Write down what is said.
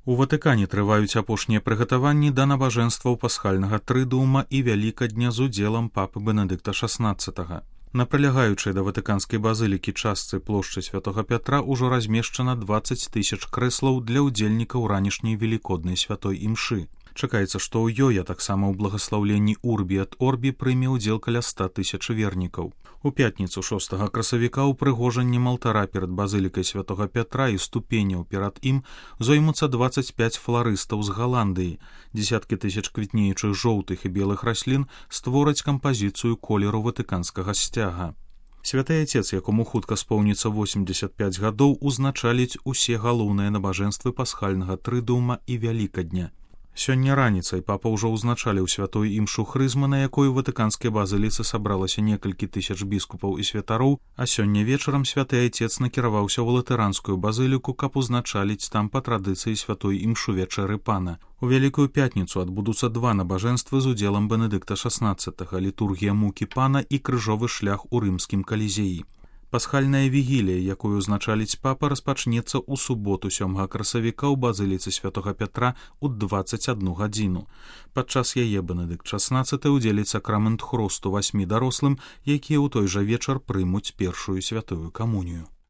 У Ватыкане трываюць апошнія прыгатаванні да набажэнстваў пасхальнага трыдуума і вялікадня з удзелам папы Бенедыкта XVI. На прылягаючай да ватыканскай базылікі частцы плошчы святога Пятра ўжо размешчана 20 000 крэслаў для ўдзельнікаў ранішняй велікоднай святой імшы. Чакаецца, што ў ёй, а таксама ў благаслаўленні Урбі ад Орбі прыме ўдзел каля 100 000 вернікаў. У пятніцу 6 красавіка ўпрыгожаннем алтара перад базылікай святога Пятра і ступеняў перад ім зоймуцца 25 фларыстаў з Галандыі. Дзесяткі тысяч квітнеючых жоўтых і белых раслін створаць кампазіцыю колеру ватыканскага сцяга. Святы Отец, якому хутка споўніцца 85 гадоў, узначаліць усе галоўныя набажэнствы пасхальнага трыдуума і вялікадня. Сёння раніцай папа ўжо ўзначаліў святую імшу хрызмы, на якой у ватыканскай базыліцы сабралася некалькі тысяч біскупаў і святароў, а сёння вечарам святы Отец накіраваўся ў латыранскую базыліку, каб узначаліць там па традыцыі святой імшу вячэры пана. У Вялікую пятніцу адбудуцца два набажэнствы з удзелам Бенедыкта XVI, літургія мукі пана і крыжовы шлях у рымскім калізеі. Пасхальная вігілія, якую узначаліць папа, распачнецца ў суботу 7 красавіка ў базыліцы святога Пятра ў 21 гадзіну. Падчас яе Бенедыкт XVI удзеліць сакрамент хросту 8 дарослым, якія ў той жа вечар прымуць першую святую камунію.